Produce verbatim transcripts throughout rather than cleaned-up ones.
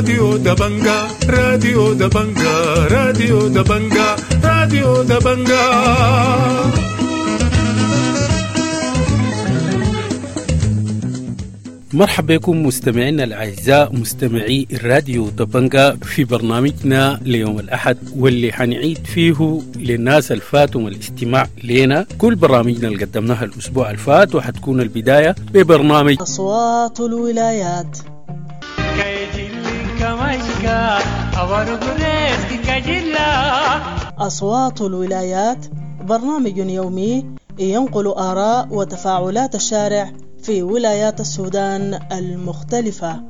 راديو دبنجا راديو دبنجا راديو دبنجا راديو دبنجا. مرحبا بكم مستمعينا الأعزاء مستمعي الراديو دبنجا في برنامجنا ليوم الأحد، واللي حنعيد فيه للناس الفاتهم الاستماع لنا كل برامجنا اللي قدمناها الأسبوع الفات، وحتكون البداية ببرنامج أصوات الولايات. أصوات الولايات برنامج يومي ينقل آراء وتفاعلات الشارع في ولايات السودان المختلفة.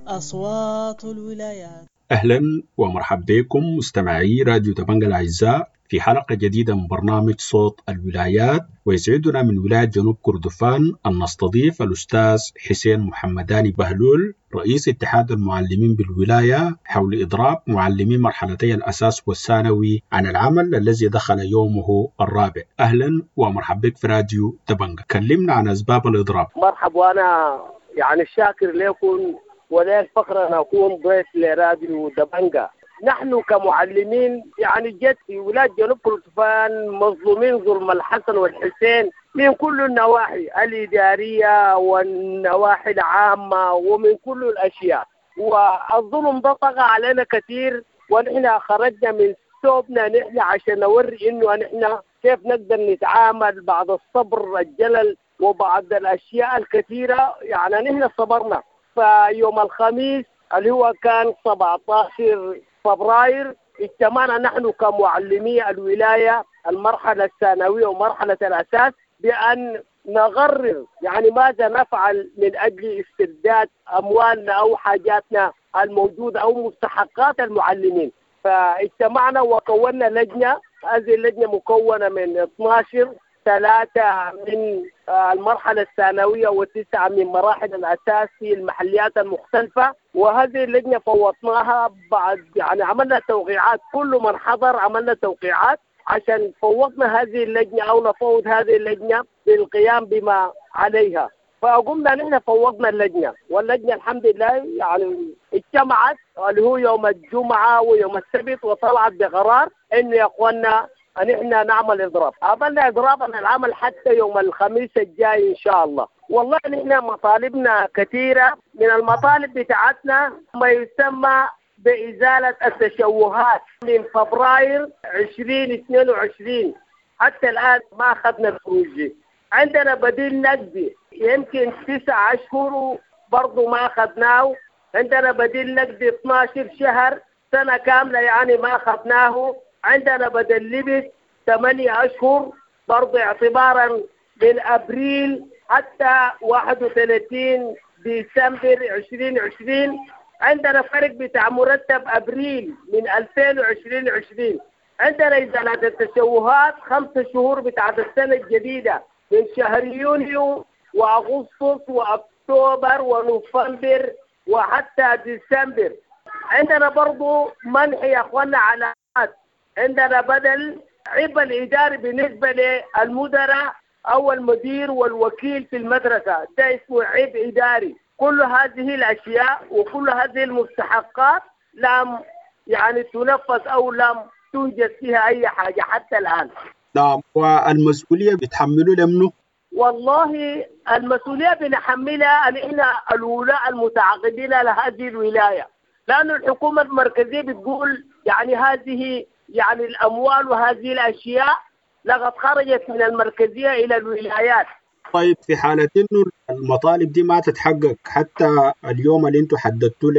أصوات الولايات. أهلا ومرحبا بكم مستمعي راديو دبنجا الأعزاء في حلقة جديدة من برنامج صوت الولايات، ويسعدنا من ولاية جنوب كردفان أن نستضيف الأستاذ حسين محمداني بهلول رئيس اتحاد المعلمين بالولاية حول إضراب معلمي مرحلتي الأساس والثانوي عن العمل الذي دخل يومه الرابع. أهلا ومرحبا بك في راديو دبنجا. كلمنا عن أسباب الإضراب. مرحبا، وأنا يعني شاكر لكم ولا الفخر أن أكون ضيف لراديو دبنجا. نحن كمعلمين يعني جد في ولاية جنوب كردفان مظلومين ظلم الحسن والحسين من كل النواحي الإدارية والنواحي العامة ومن كل الأشياء، والظلم ده طغى علينا كثير، ونحن خرجنا من ثوبنا نحن عشان نوري إنه نحن كيف نقدر نتعامل بعد الصبر الجلل وبعد الأشياء الكثيرة. يعني نحن صبرنا. فيوم الخميس اللي هو كان سبعة عشر فبراير اجتمعنا نحن كمعلمي الولاية المرحلة الثانوية ومرحلة الأساس بأن نقرر يعني ماذا نفعل من أجل استرداد أموالنا أو حاجاتنا الموجودة أو مستحقات المعلمين. فاجتمعنا وكونا لجنة، هذه اللجنة مكونة من اثني عشر، ثلاثة من المرحلة الثانوية وتسعة من مراحل الأساس في المحليات المختلفة. وهذه اللجنة فوضناها بعد يعني عملنا توقيعات، كل من حضر عملنا توقيعات عشان فوضنا هذه اللجنة أو نفوض هذه اللجنة بالقيام بما عليها. فقمنا نحن فوضنا اللجنة، واللجنة الحمد لله يعني اجتمعت اللي هو يوم الجمعة ويوم السبت وطلعت بقرار إنه يا أخوانا أن إحنا نعمل إضراب. عملنا إضراب عن العمل حتى يوم الخميس الجاي إن شاء الله. والله نحن مطالبنا كثيرة، من المطالب بتاعتنا ما يسمى بإزالة التشوهات من فبراير عشرين اثنين وعشرين حتى الآن ما أخذنا الخروج. عندنا بديل نقدي يمكن تسعة أشهر برضو ما أخذناه. عندنا بديل نقدي اثني عشر شهر، سنة كاملة يعني ما أخذناه. عندنا بدل لبس ثمانية أشهر برضو اعتبارا من أبريل حتى واحد وثلاثين ديسمبر عشرين عشرين. عندنا فرق بتاع مرتب أبريل من ألفين وعشرين عشرين. عندنا إزالة التشوهات خمسة شهور بتاعت السنة الجديدة من شهر يونيو وأغسطس وأكتوبر ونوفمبر وحتى ديسمبر. عندنا برضو منح يا أخوانا علامات. عندنا بدل عبء الإداري بالنسبة للمدراء أو المدير والوكيل في المدرسة، ده اسمه عبء إداري. كل هذه الأشياء وكل هذه المستحقات لم يعني تنفذ أو لم توجد فيها أي حاجة حتى الآن. نعم، والمسؤولية بتحملوا لمنه؟ والله المسؤولية بنحملها نحن الولاء المتعاقدين لهذه الولاية، لأن الحكومة المركزية بتقول يعني هذه يعني الأموال وهذه الأشياء لقد خرجت من المركزية إلى الولايات. طيب في حالة إنه المطالب دي ما تتحقق حتى اليوم اللي انتم حددتوه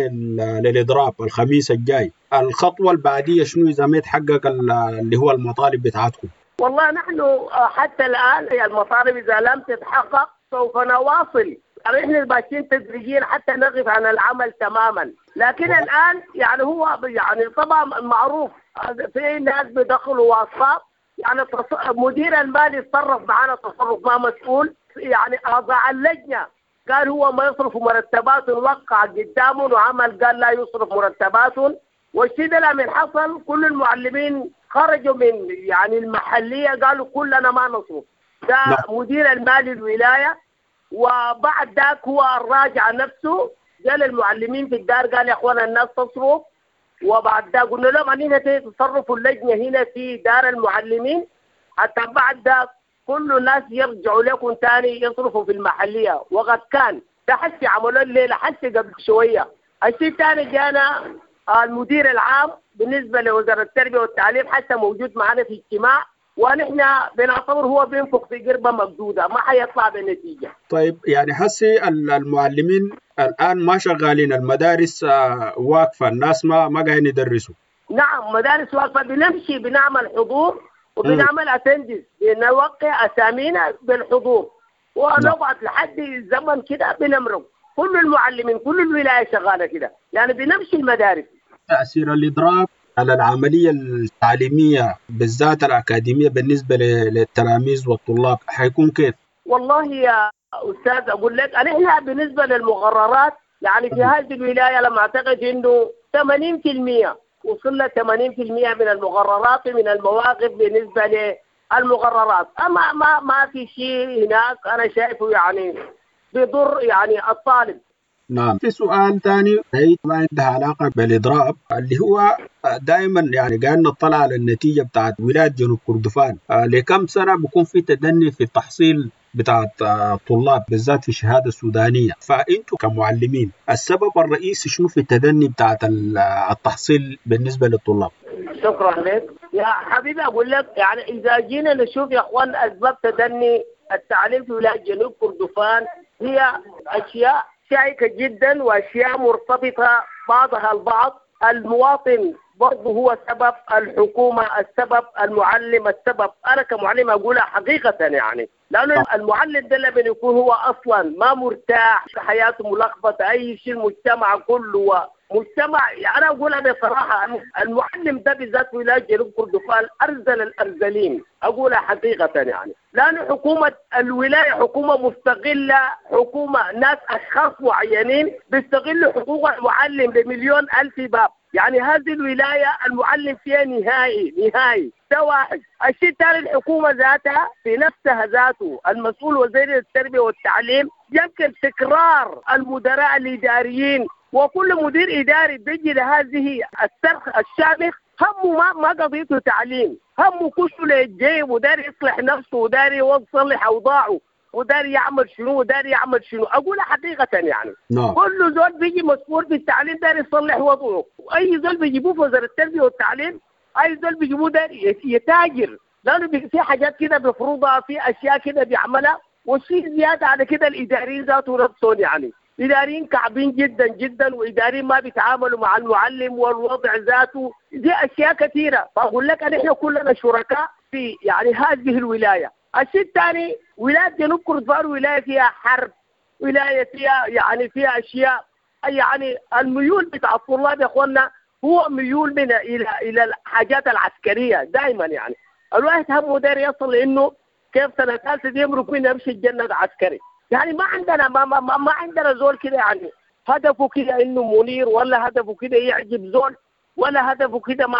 للإضراب الخميس الجاي، الخطوة البعدية شنو إذا ما يتحقق اللي هو المطالب بتاعتكم؟ والله نحن حتى الآن المطالب إذا لم تتحقق سوف نواصل. نحن ماشيين تدريجيا حتى نقف عن العمل تماما، لكن الآن يعني هو يعني طبعا معروف في ناس بيدخلوا واسطات، يعني مدير المالي تصرف معنا تصرف ما مسؤول، يعني أعضاء اللجنة قال هو ما يصرف مرتبات، وقع قدامه وعمل قال لا يصرف مرتبات. والشيء ده لما حصل كل المعلمين خرجوا من يعني المحلية، قالوا كلنا ما نصرف. ده مدير المالي الولاية، وبعد ذاك هو الراجع نفسه قال المعلمين في الدار، قال يا اخوانا الناس تصرف. وبعد ذاك قلنا لهم اننا تصرفوا اللجنة هنا في دار المعلمين حتى بعد ذاك كل الناس يرجعوا لكم ثاني يصرفوا في المحلية. وقد كان ده حسي عملوا الليلة حسي قبل شوية. الشيء الثاني جانا المدير العام بالنسبة لوزارة التربية والتعليم حتى موجود معنا في اجتماع، ونحن بنعتبر هو بينفخ في قربة مقدودة ما حيطلع بنتيجة. طيب يعني حسي المعلمين الآن ما شغالين، المدارس واقفة، الناس ما ما قاعدين يدرسوا. نعم مدارس واقفة، بنمشي بنعمل حضور وبنعمل اتندنس، بنوقع اسامينا بالحضور ونقعد لحد الزمن كده بنمرق. كل المعلمين كل الولاية شغالة كده، يعني بنمشي المدارس. تأثير الإضراب على العملية التعليمية بالذات الأكاديمية بالنسبة للتلاميذ والطلاب حيكون كيف؟ والله يا أستاذ أقول لك أنا بالنسبة للمقررات يعني في هذه الولاية لما أعتقد إنه ثمانين بالمئة وصلنا ثمانين بالمئة من المقررات من المواقف بالنسبة للمقررات. أما ما ما في شيء هناك أنا شايفه يعني بيضر يعني الطالب. نعم. في سؤال ثاني هي ما عندها علاقة بالإضراب، اللي هو دائما يعني قاعد نطلع على النتيجة بتاعت ولاية جنوب كردفان، لكم سنة بيكون في تدني في التحصيل بتاعت الطلاب بالذات في الشهادة السودانية، فأنتوا كمعلمين السبب الرئيسي شنو في التدني بتاعت التحصيل بالنسبة للطلاب؟ شكرا لك يا حبيبي. أقول لك يعني إذا جينا نشوف يا أخوان أسباب تدني التعليم في ولاية جنوب كردفان هي أشياء شائكة جدا وأشياء مرتبطة بعضها البعض. المواطن برضه هو سبب، الحكومة السبب، المعلم السبب. أنا كمعلم أقولها حقيقة يعني، لأنه المعلم ده لما يكون هو أصلا ما مرتاح، حياته ملخبطة، أي شيء، المجتمع كله مجتمع. يعني أنا أقولها بصراحة، المعلم ده بالذات ولاية جنوب كردفان أرزل الأرزلين، أقولها حقيقة يعني، لأن حكومة الولاية حكومة مستغلة، حكومة ناس أشخاص معينين بيستغلوا حقوق المعلم بمليون ألف باب. يعني هذه الولاية المعلم فيها نهائي نهائي، ده واحد. الشيء الثاني الحكومة ذاتها في نفسها ذاته المسؤول وزير التربية والتعليم يمكن تكرار المدراء الإداريين، وكل مدير إداري بيجي لهذه الصرخ الشامخ همه ما ما قضيته تعليم، همه كله للجيب، وداري يصلح نفسه وداري يصلح أوضاعه وداري يعمل شنو وداري يعمل شنو. أقول حقيقة يعني no. كل زول بيجي مسؤول في التعليم داري يصلح وضعه، وأي زول بيجيبوه في وزارة التربية والتعليم أي زول بيجيبوه داري يتاجر، لأنه في حاجات كده بيفرضها، في أشياء كده بيعملها. والشيء زيادة على كده الإداريين ذاته نفسهم يعني إداريين كعبين جدا جدا، وإداريين ما بيتعاملوا مع المعلم والوضع ذاته، دي أشياء كثيرة. فأقول لك أن إحنا كلنا شركاء في يعني هذه الولاية. الشيء الثاني ولاية جنوب كردفان ولاية فيها حرب، ولاية فيها يعني فيها أشياء، يعني الميول بتاع الطلاب يا أخوانا هو ميول من إلى إلى الحاجات العسكرية دائما. يعني الواحد همه داير يصل إنه كيف سنة ثالثة دي يمرق منها يمشي الجنة عسكري. يعني ما عندنا ما ما ما عندنا زول كده يعني هدفه كده انه منير، ولا هدفه كده يعجب زول، ولا هدفه كده ما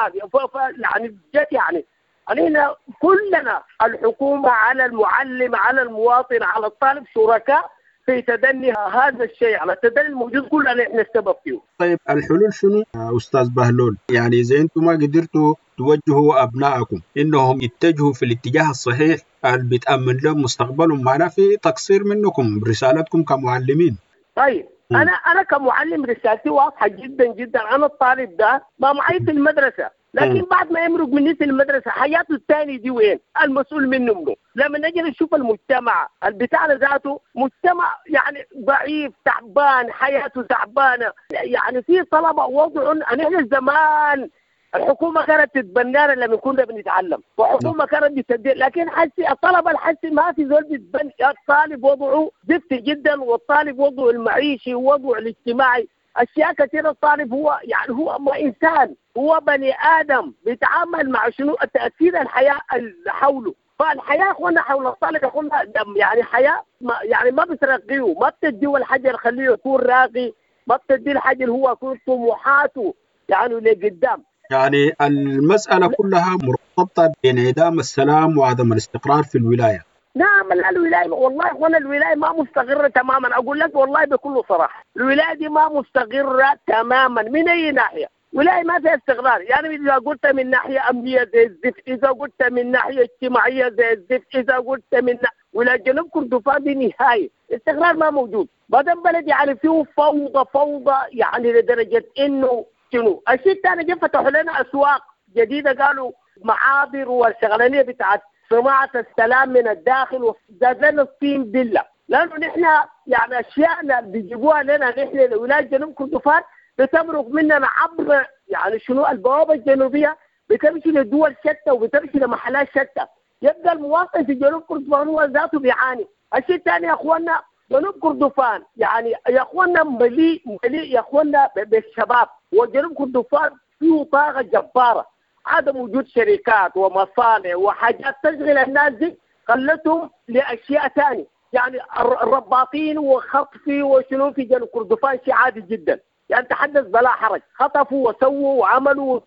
يعني جد. يعني علينا كلنا الحكومة على المعلم على المواطن على الطالب شركاء في تدني هذا الشيء، على التدني الموجود كلنا احنا السبب فيه. طيب الحلول شنو أستاذ بهلول؟ يعني إذا أنتم ما قدرتوا توجهوا أبنائكم إنهم يتجهوا في الاتجاه الصحيح اللي بتأمن لهم مستقبلهم، معناه في تقصير منكم رسالتكم كمعلمين. طيب م. أنا أنا كمعلم رسالتي واضحة جدا جدا. أنا الطالب ده ما معي في المدرسة، لكن م. بعد ما يمرق مني في المدرسة حياته الثانية دي وين؟ المسؤول منه منه. لما نجي نشوف المجتمع بتاعنا ذاته مجتمع يعني ضعيف تعبان، حياته تعبانة، يعني في طلبة وضع. نحن زمان الحكومة كانت تتبنانا لما كنا بنتعلم، وحكومة كانت بتدير، لكن حسي الطلبة الحسي ما في زول بيتبنى. الطالب وضعه زفت جدا، والطالب وضعه المعيشي ووضعه الاجتماعي أشياء كثيرة. الطالب هو يعني هو ما إنسان، هو بني آدم بيتعامل مع شنو تأثير الحياة اللي حوله. فالحياة أخوانا حول الطالب أخوانا يعني حياة ما يعني ما بترقيه، ما بتديه الحاجة اللي خليه يكون راقي، ما بتديه الحاجة اللي هو يكون طموحاته يعني لقدام. يعني المسألة كلها مرتبطة بانعدام السلام وعدم الاستقرار في الولاية. نعم لا الولاية والله وانا الولاية ما مستقرة تماما، أقول لك والله بكل صراحة الولاية دي ما مستقرة تماما من أي ناحية. ولاية ما فيها استقرار، يعني إذا قلت من ناحية أمنية زي الزفت، إذا قلت من ناحية اجتماعية زي الزفت، إذا قلت من ولاية جنوب كردفان دي نهاية استقرار ما موجود. بعدين بلد يعني فيه فوضى فوضى يعني لدرجة إنه شنو الشيء الثاني، جه فتحوا لنا أسواق جديدة، قالوا معابر والشغلانية بتاعت صناعة السلام من الداخل، وزاد لنا الصين بلة، لأنه نحن يعني أشياءنا بيجيبوها لنا نحن لولاية جنوب كردفان بتمرق مننا عبر يعني شنو البوابة الجنوبية، بتمشي لدول شتى وبتمشي لمحلات شتى، يبقى المواطن في جنوب كردفان هو ذاته بيعاني. الشيء الثاني يا اخواننا جنوب كردفان يعني يا اخواننا مليء مليء يا اخواننا بالشباب، وجنوب كردفان فيه طاقة جبارة، عدم وجود شركات ومصانع وحاجات تشغل الناس دي خلتهم لاشياء ثانية، يعني الرباطين وخطفي وشنو في جنوب كردفان شيء عادي جدا، يعني تحدث بلا حرج، خطفوا وسووا وعملوا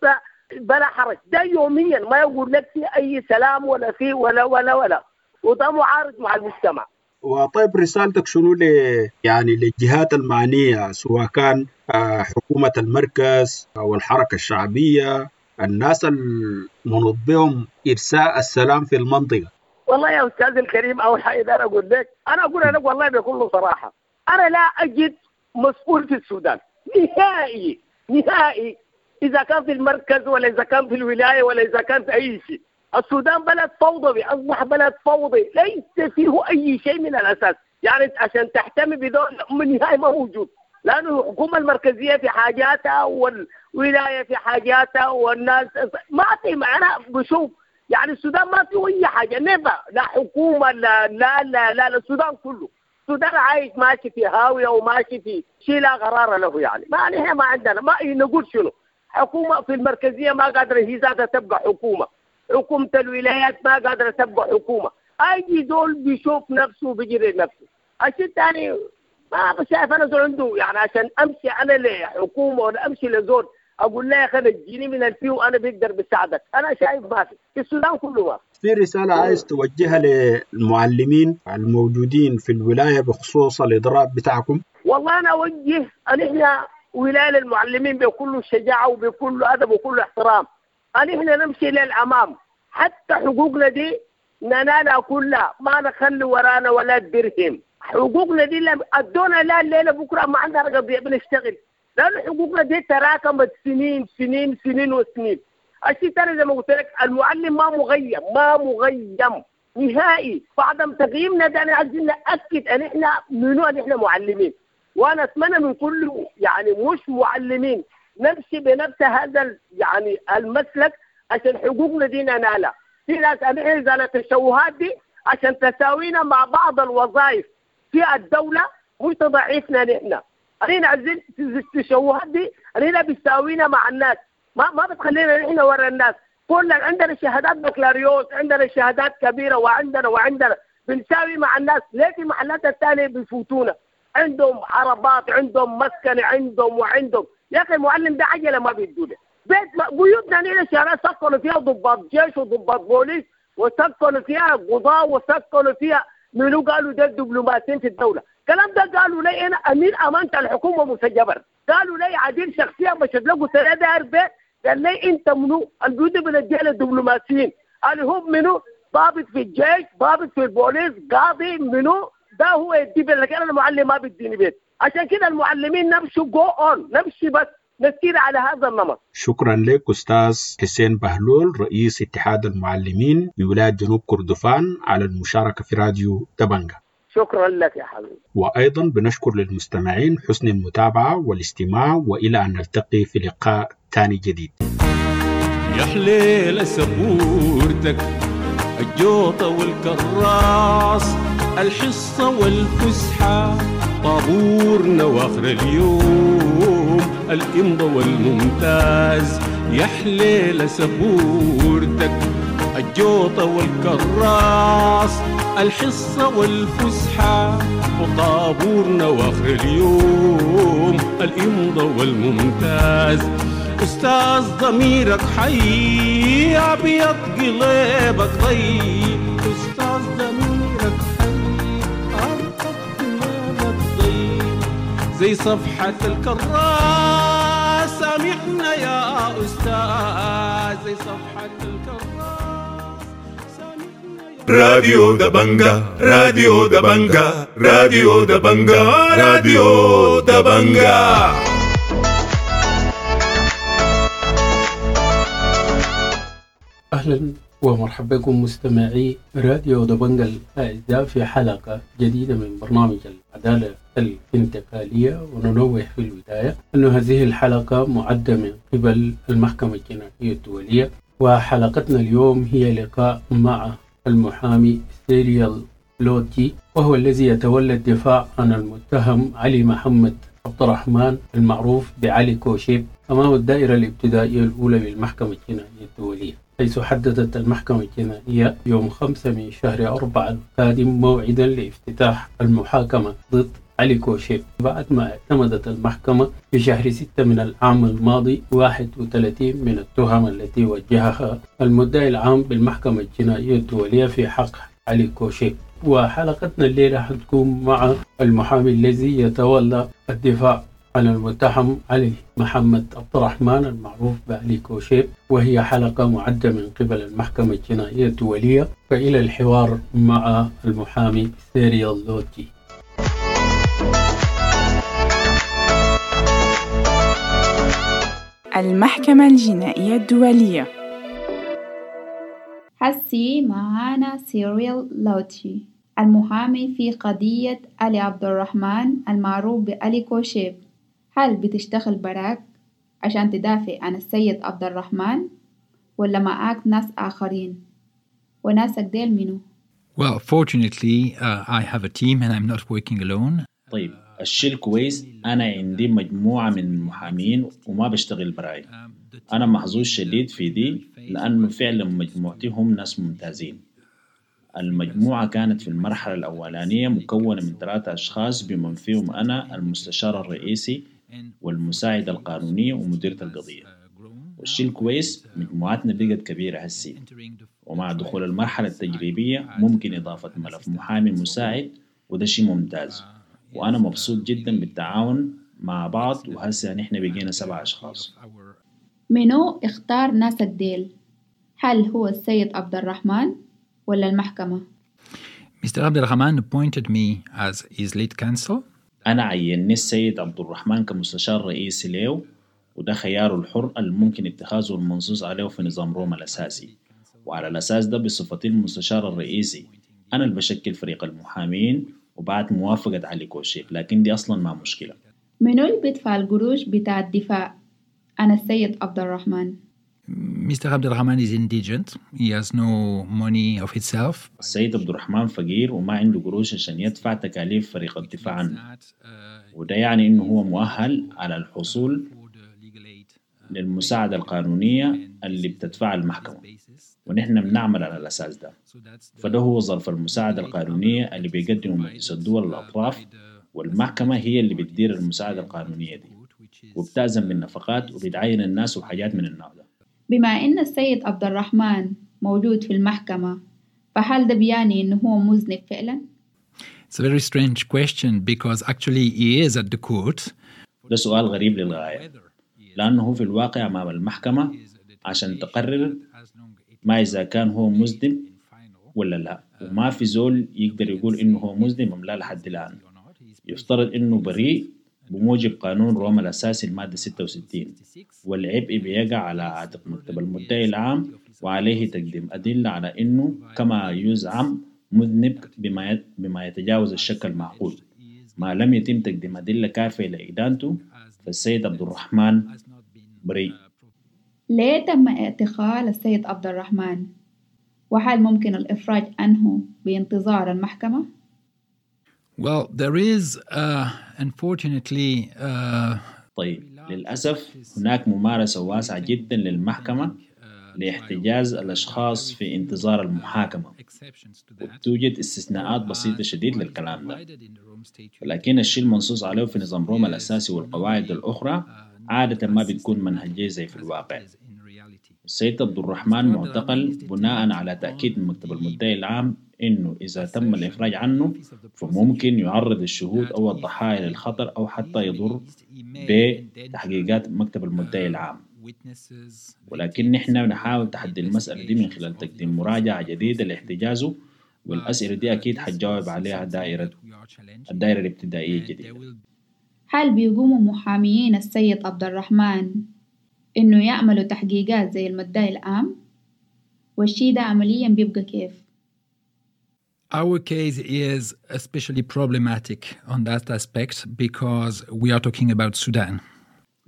بلا حرج، ده يوميا ما يقول لك في اي سلام ولا في ولا ولا ولا، وده معارض مع المجتمع. وطيب رسالتك شنو ل يعني للجهات المعنية، سواء كان حكومة المركز أو الحركة الشعبية، الناس المنوط بهم إرساء السلام في المنطقة؟ والله يا أستاذ الكريم أول حاجة أنا أقول لك، أنا أقول لك والله بكل صراحة أنا لا أجد مسؤول في السودان نهائي نهائي، إذا كان في المركز ولا إذا كان في الولاية ولا إذا كان في أي شيء. السودان بلد فوضوي، أصبح بلد فوضي ليس فيه أي شيء من الأساس، يعني عشان تحتمي بدول نهائي ما موجود، لأنه الحكومة المركزية في حاجاتها والولاية في حاجاتها والناس ما في. أنا بشوف يعني السودان ما فيه أي حاجة، نبا لا حكومة لا لا لا لا, لا السودان كله السودان عايش ماشي في هاوية وماشي في شيء لا قرار له، يعني ما نحن ما عندنا ما نقول شنو. حكومة في المركزية ما قادرة هي ذاتها تبقى حكومة، حكومة الولايات ما قادرة تبقى حكومة، أي زول بيشوف نفسه وبيجري نفسه. الشيء الثاني ما شايف أنا زول عنده يعني عشان أمشي أنا لحكومة ولا أمشي لزول أقول له يا أخي اديني من الفي وأنا بقدر بساعدك، أنا شايف ما في في السودان كله ما في. رسالة عايز توجهها للمعلمين الموجودين في الولاية بخصوص الإضراب بتاعكم؟ والله أنا أوجه أن إحنا ولاية للمعلمين بكل شجاعة وبكل أدب وكل احترام، أن إحنا نمشي للأمام، حتى حقوقنا دي ننالها كلها، ما نخلي ورانا ولا درهم. حقوقنا دي لم أدونا لا الليلة بكرة ما عندنا قضية بنشتغل، لأن حقوقنا دي تراكمت سنين سنين سنين وسنين. الشيء الثاني زي ما قلت لك المعلم ما مغيم ما مغيم نهائي، فعدم تغييمنا ده أنا عايزين نأكد أن إحنا منو أن إحنا معلمين، وأنا أتمنى من كل يعني مش معلمين نمشي بنفس هذا يعني المسلك عشان حقوقنا دي ننالها. في ناس أنا إزالة التشوهات دي عشان تساوينا مع بعض الوظائف في الدولة مش تضعيفنا نحن. أنا عايزين التشوهات دي أنا بتساوينا مع الناس، ما ما بتخلينا نحن ورا الناس. كل عندنا شهادات بكالوريوس، عندنا شهادات كبيرة، وعندنا وعندنا بنساوي مع الناس. ليه في محلات الثانية بيفوتونا؟ عندهم عربات، عندهم مسكن، عندهم وعندهم. يا أخي المعلم ده عجلة ما بيدوله بيت. بيوتنا نحن شارع سكنوا فيها ضباط جيش وضباط بوليس، وسكنوا فيها قضاة، وسكنوا فيها منو قالوا ده الدبلوماسيين في الدولة. الكلام ده قالوا لي أنا أمين أمانة الحكومة مسجبر، قالوا لي عديل شخصية مشيت له قلت له داير بيت، قال لي أنت منو؟ البيوت بنديها للدبلوماسيين. قال هم منو؟ ضابط في الجيش، ضابط في البوليس، قاضي، منو؟ ده هو يدي بيت، لكن أنا المعلم ما بيديني بيت. عشان كده المعلمين نمشي جو أون، نمشي بس نسير على هذا النمط. شكرا لك أستاذ حسين بهلول رئيس اتحاد المعلمين بولاية جنوب كردفان على المشاركة في راديو دبنجة. شكرا لك يا حبيبي. وأيضا بنشكر للمستمعين حسن المتابعة والاستماع، وإلى أن نلتقي في لقاء تاني جديد. يا حليل سبورتك الجوطة والكراس، الحصة والفسحة، طابورنا واخر اليوم الإمضة والممتاز. يا حليل سبورتك الجوطة والكراس، الحصة والفسحة، وطابورنا واخر اليوم الإمضة والممتاز. أستاذ ضميرك حي، أبيض قلبك طيب. أستاذ ضميرك حي، أبيض قلبك طيب، زي صفحة الكراس. سامحنا يا أستاذ، زي صفحة الكراس. سامحنا يا راديو دبنجا، راديو دبنجا، راديو دبنجا، راديو دبنجا. أهلا ومرحبا بكم مستمعي راديو دبنجا الأعزاء في حلقة جديدة من برنامج العدالة الانتقالية. وننوه في البداية أن هذه الحلقة معدة من قبل المحكمة الجنائية الدولية، وحلقتنا اليوم هي لقاء مع المحامي سيريال لوتي، وهو الذي يتولى الدفاع عن المتهم علي محمد عبد الرحمن المعروف بعلي كوشيب أمام الدائرة الابتدائية الأولى للمحكمة الجنائية الدولية، حيث حددت المحكمة الجنائية يوم خمسة من شهر أربعة القادم موعدا لافتتاح المحاكمة ضد علي كوشيب، بعد ما اعتمدت المحكمة في شهر ستة من العام الماضي واحد وثلاثين من التهم التي وجهها المدعي العام بالمحكمة الجنائية الدولية في حق علي كوشيب. وحلقتنا الليلة حتكون مع المحامي الذي يتولى الدفاع عن المتهم علي محمد عبد الرحمن المعروف بعلي كوشيب، وهي حلقة معدة من قبل المحكمة الجنائية الدولية. فإلى الحوار مع المحامي سيريال لوتي. المحكمة الجنائية الدولية. حسي معانا سيريال لوتي المحامي في قضية علي عبد الرحمن المعروف بعلي كوشيب. هل بتشتغل براك عشان تدافع عن السيد عبد الرحمن ولا معاك ناس آخرين؟ وناسك ديل منو؟ Well, fortunately, uh, I have a team and I'm not working alone. طيب الشيء الكويس أنا عندي مجموعة من المحامين وما بشتغل براي. أنا محظوظ شديد في دي لأنه فعلا مجموعتي هم ناس ممتازين. المجموعة كانت في المرحلة الأولانية مكونة من ثلاثة أشخاص بمن فيهم أنا المستشار الرئيسي والمساعد القانوني ومديرة القضية. والشيء الكويس مجموعتنا بقت كبيرة هسي، ومع دخول المرحلة التجريبية ممكن إضافة ملف محامي مساعد، وده شيء ممتاز. وأنا مبسوط جدا بالتعاون مع بعض، وهسه نحن بقينا سبع أشخاص. منو اختار ناسك ديل؟ هل هو السيد عبد الرحمن ولا المحكمة؟ Mister Abdelrahman appointed me as his lead counsel. أنا عيني السيد عبد الرحمن كمستشار رئيسي له، وده خياره الحر الممكن اتخاذه المنصوص عليه في نظام روما الأساسي. وعلى الأساس ده بصفتي المستشار الرئيسي أنا اللي بشكل فريق المحامين وبعد موافقة علي كوشيب، لكن دي أصلا ما مشكلة. منو اللي بيدفع القروش بتاع الدفاع عن السيد عبد الرحمن؟ Mister Abdelrahman is indigent. He has no money of himself. السيد عبد الرحمن فقير وما عنده قروش عشان يدفع تكاليف فريق الدفاع عنه، وده يعني إنه هو مؤهل على الحصول للمساعدة القانونية اللي بتدفعها المحكمة، ونحن بنعمل على الأساس ده. فده هو ظرف المساعدة القانونية اللي بيقدمه مجلس الدول الأطراف، والمحكمة هي اللي بتدير المساعدة القانونية دي وبتأذن بالنفقات وبتعين الناس وحاجات من النوع ده. بما إن السيد عبد الرحمن موجود في المحكمة، فهل ده بيعني إنه هو مذنب فعلا؟ It's a very strange question because actually he is at the court. ده سؤال غريب للغاية، لأنه هو في الواقع أمام المحكمة عشان تقرر ما إذا كان هو مذنب ولا لا، وما في زول يقدر يقول إنه هو مذنب أم لا لحد الآن. يفترض إنه بريء بموجب قانون روما الأساسي المادة ستة وستين، والعبء بيقع على عاتق مكتب المدعي العام، وعليه تقديم أدلة على إنه كما يزعم مذنب بما بما يتجاوز الشك المعقول. ما لم يتم تقديم أدلة كافية لإدانته فالسيد عبد الرحمن بريء. ليه تم اعتقال السيد عبد الرحمن؟ وهل ممكن الإفراج عنه بانتظار المحكمة؟ Well, there is uh, unfortunately uh... طيب للأسف هناك ممارسة واسعة جدا للمحكمة لاحتجاز الأشخاص في انتظار المحاكمة، وتوجد استثناءات بسيطة شديد للكلام ده، لكن الشيء المنصوص عليه في نظام روما الأساسي والقواعد الأخرى عادة ما بتكون منهجية زي في الواقع. السيد عبد الرحمن معتقل بناء على تأكيد من مكتب المدعي العام إنه إذا تم الإفراج عنه فممكن يعرض الشهود أو الضحايا للخطر أو حتى يضر بتحقيقات مكتب المدعي العام. ولكن نحن نحاول تحدي المسألة دي من خلال تقديم مراجعة جديدة لاحتجازه، والأسئلة دي أكيد حتجاوب عليها دائرة الدائرة الابتدائية الجديدة. هل بيقوموا محاميين السيد عبد الرحمن إنه يعملوا تحقيقات زي المدعي العام؟ والشي ده عمليا بيبقى كيف؟ Our case is especially problematic on that aspect because we are talking about Sudan.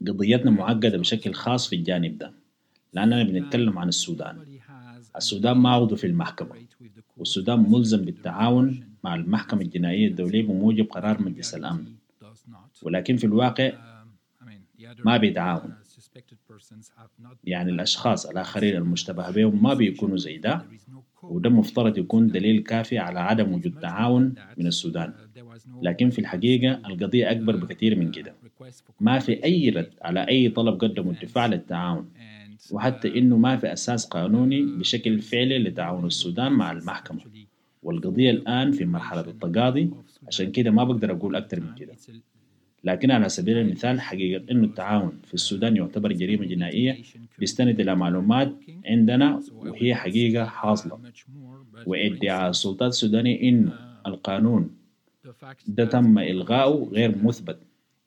قضيتنا معقدة بشكل خاص في الجانب ده لأننا بنتكلم عن السودان. السودان ما عضو في المحكمة، والسودان ملزم بالتعاون مع المحكمة الجنائية الدولية بموجب قرار مجلس الأمن، ولكن في الواقع ما بيتعاون. يعني الأشخاص الآخرين المشتبه بهم ما بيكونوا زي ده، وده مفترض يكون دليل كافي على عدم وجود تعاون من السودان. لكن في الحقيقة القضية أكبر بكثير من كده. ما في أي رد على أي طلب قدمه الدفاع للتعاون، وحتى إنه ما في أساس قانوني بشكل فعلي لتعاون السودان مع المحكمة. والقضية الآن في مرحلة التقاضي، عشان كده ما بقدر أقول أكتر من كده. لكن على سبيل المثال حقيقة إنه التعاون في السودان يعتبر جريمة جنائية بيستند إلى معلومات عندنا وهي حقيقة حاصلة. وادعاء السلطات السودانية إنه القانون ده تم إلغائه غير مثبت،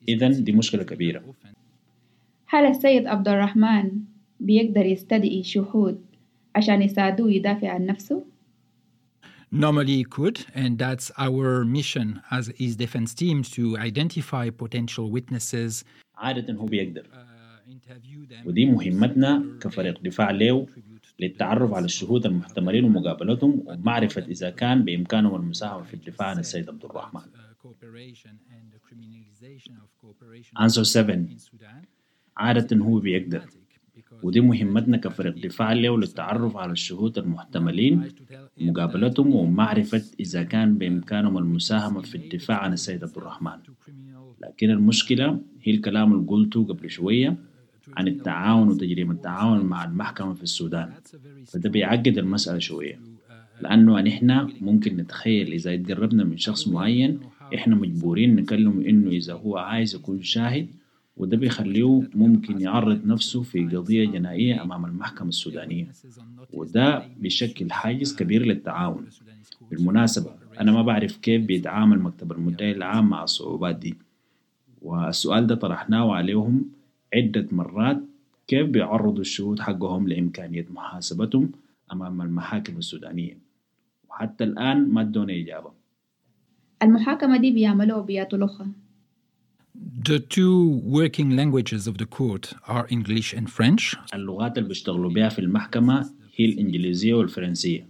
إذن دي مشكلة كبيرة. هل السيد عبد الرحمن بيقدر يستدعي شهود عشان يساعدوه يدافع عن نفسه؟ Normally he could, and that's our mission as his defense team to identify potential witnesses. عادة هو بيقدر، ودي مهمتنا كفريق دفاع له للتعرف على الشهود المحتملين ومقابلتهم ومعرفة إذا كان بإمكانهم المساهمة في الدفاع عن السيد عبد الرحمن. Answer seven. عادة هو بيقدر، ودي مهمتنا كفريق دفاع له للتعرف على الشهود المحتملين ومقابلتهم ومعرفة إذا كان بإمكانهم المساهمة في الدفاع عن السيد عبد الرحمن. لكن المشكلة هي الكلام اللي قلته قبل شوية عن التعاون وتجريم التعاون مع المحكمة في السودان، فده بيعقد المسألة شوية، لأنه نحن ممكن نتخيل إذا اتقربنا من شخص معين إحنا مجبورين نكلمه إنه إذا هو عايز يكون شاهد، وده بيخليه ممكن يعرض نفسه في قضية جنائية أمام المحكمة السودانية، وده بيشكل حاجز كبير للتعاون. بالمناسبة أنا ما بعرف كيف بيتعامل مكتب المدعي العام مع الصعوبات دي، والسؤال ده طرحناه عليهم عدة مرات، كيف بيعرضوا الشهود حقهم لإمكانية محاسبتهم أمام المحاكم السودانية، وحتى الآن ما ادونا إجابة. المحاكمة دي بيعملوها بياتو لغة؟ The two working languages of the court are English and French. اللغات اللي بيشتغلوا بها في المحكمة هي الإنجليزية والفرنسية،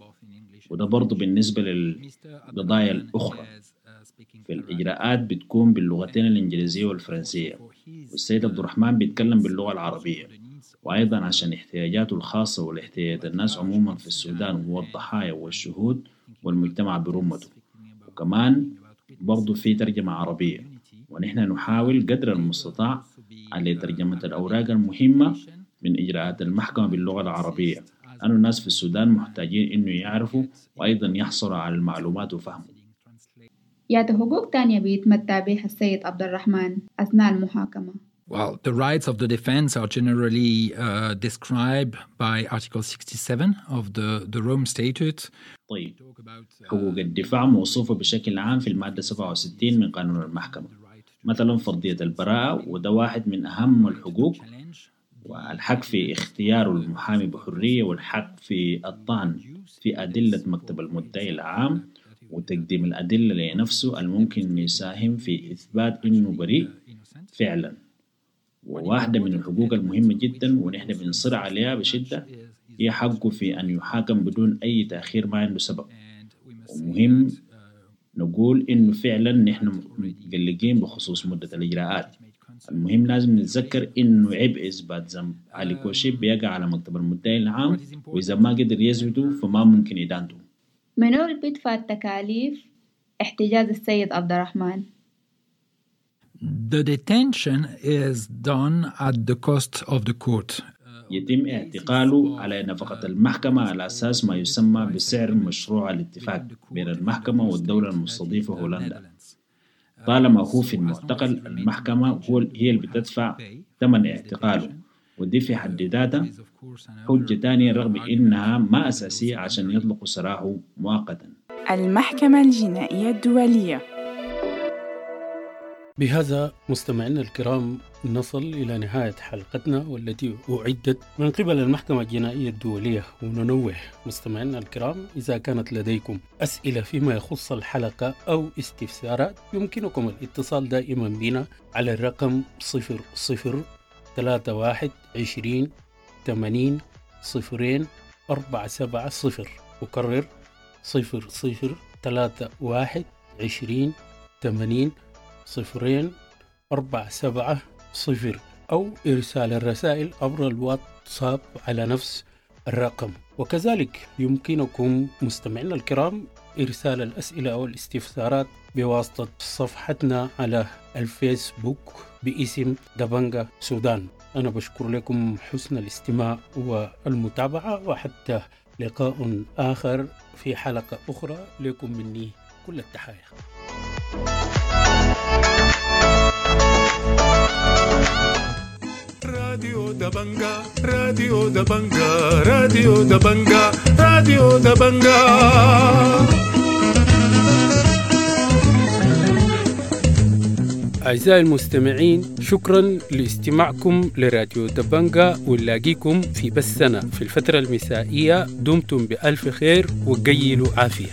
وده برضو بالنسبة للقضايا الأخرى. في الإجراءات بتكون باللغتين الإنجليزية والفرنسية، والسيد عبد الرحمن بيتكلم باللغة العربية، وأيضا عشان احتياجاته الخاصة والاحتياجات الناس عموما في السودان والضحايا والشهود والمجتمع برمته، وكمان برضو في ترجمة عربية. ونحن نحاول قدر المستطاع على ترجمة الأوراق المهمة من إجراءات المحكمة باللغة العربية، لأن الناس في السودان محتاجين إنه يعرفوا وأيضا يحصلوا على المعلومات وفهموا. ياتو حقوق تانية بيتمتع بها السيد عبد الرحمن أثناء المحاكمة؟ Well, the rights of the defense are generally uh, described by Article sixty-seven of the, the Rome Statute. طيب، حقوق الدفاع موصوفة بشكل عام في المادة سبعة وستين من قانون المحكمة، مثلا فرضية البراءة، وده واحد من أهم الحقوق، والحق في اختيار المحامي بحرية، والحق في الطعن في أدلة مكتب المدعي العام، وتقديم الأدلة لنفسه الممكن يساهم في إثبات إنه بريء فعلا. وواحدة من الحقوق المهمة جدا ونحن بنصر عليها بشدة هي حقه في أن يحاكم بدون أي تأخير ما عنده سبب. ومهم نقول إنه فعلا نحن متقلقين بخصوص مدة الإجراءات. المهم لازم نتذكر إنه عبء إثبات ذنب علي كوشيب بيقع على مكتب المدعي العام، وإذا ما قدر يثبته فما ممكن إدانته. منو اللي بيدفع التكاليف احتجاز السيد عبد الرحمن؟ The detention is done at the cost of the court. يتم اعتقاله على نفقة المحكمة على أساس ما يسمى بسعر مشروع الاتفاق بين المحكمة والدولة المستضيفة هولندا. طالما هو في المعتقل، المحكمة هو هي اللي بتدفع ثمن اعتقاله، ودي في حد ذاتها حجة تانية رغم إنها ما أساسية عشان يطلقوا سراحه مؤقتا. المحكمة الجنائية الدولية. بهذا مستمعينا الكرام نصل إلى نهاية حلقتنا والتي أعدت من قبل المحكمة الجنائية الدولية. وننوه مستمعينا الكرام، إذا كانت لديكم أسئلة فيما يخص الحلقة أو استفسارات يمكنكم الاتصال دائما بنا على الرقم صفر صفر ثلاثة واحد عشرين ثمانين صفرين أربعة سبعة صفر. أكرر صفر صفر ثلاثة واحد عشرين ثمانين صفرين أربعة سبعة صفر، أو إرسال الرسائل عبر الواتساب على نفس الرقم. وكذلك يمكنكم مستمعينا الكرام إرسال الأسئلة أو الاستفسارات بواسطة صفحتنا على الفيسبوك باسم دبنجا سودان. أنا بشكر لكم حسن الاستماع والمتابعة، وحتى لقاء آخر في حلقة أخرى، لكم مني كل التحايا. راديو دبنجا، راديو دبنجا، راديو دبنجا، راديو دبنجا. أعزائي المستمعين، شكرا لاستماعكم لراديو دبنجا، ونلاقيكم في بثنا في الفترة المسائية. دمتم بألف خير وقيلوا عافية.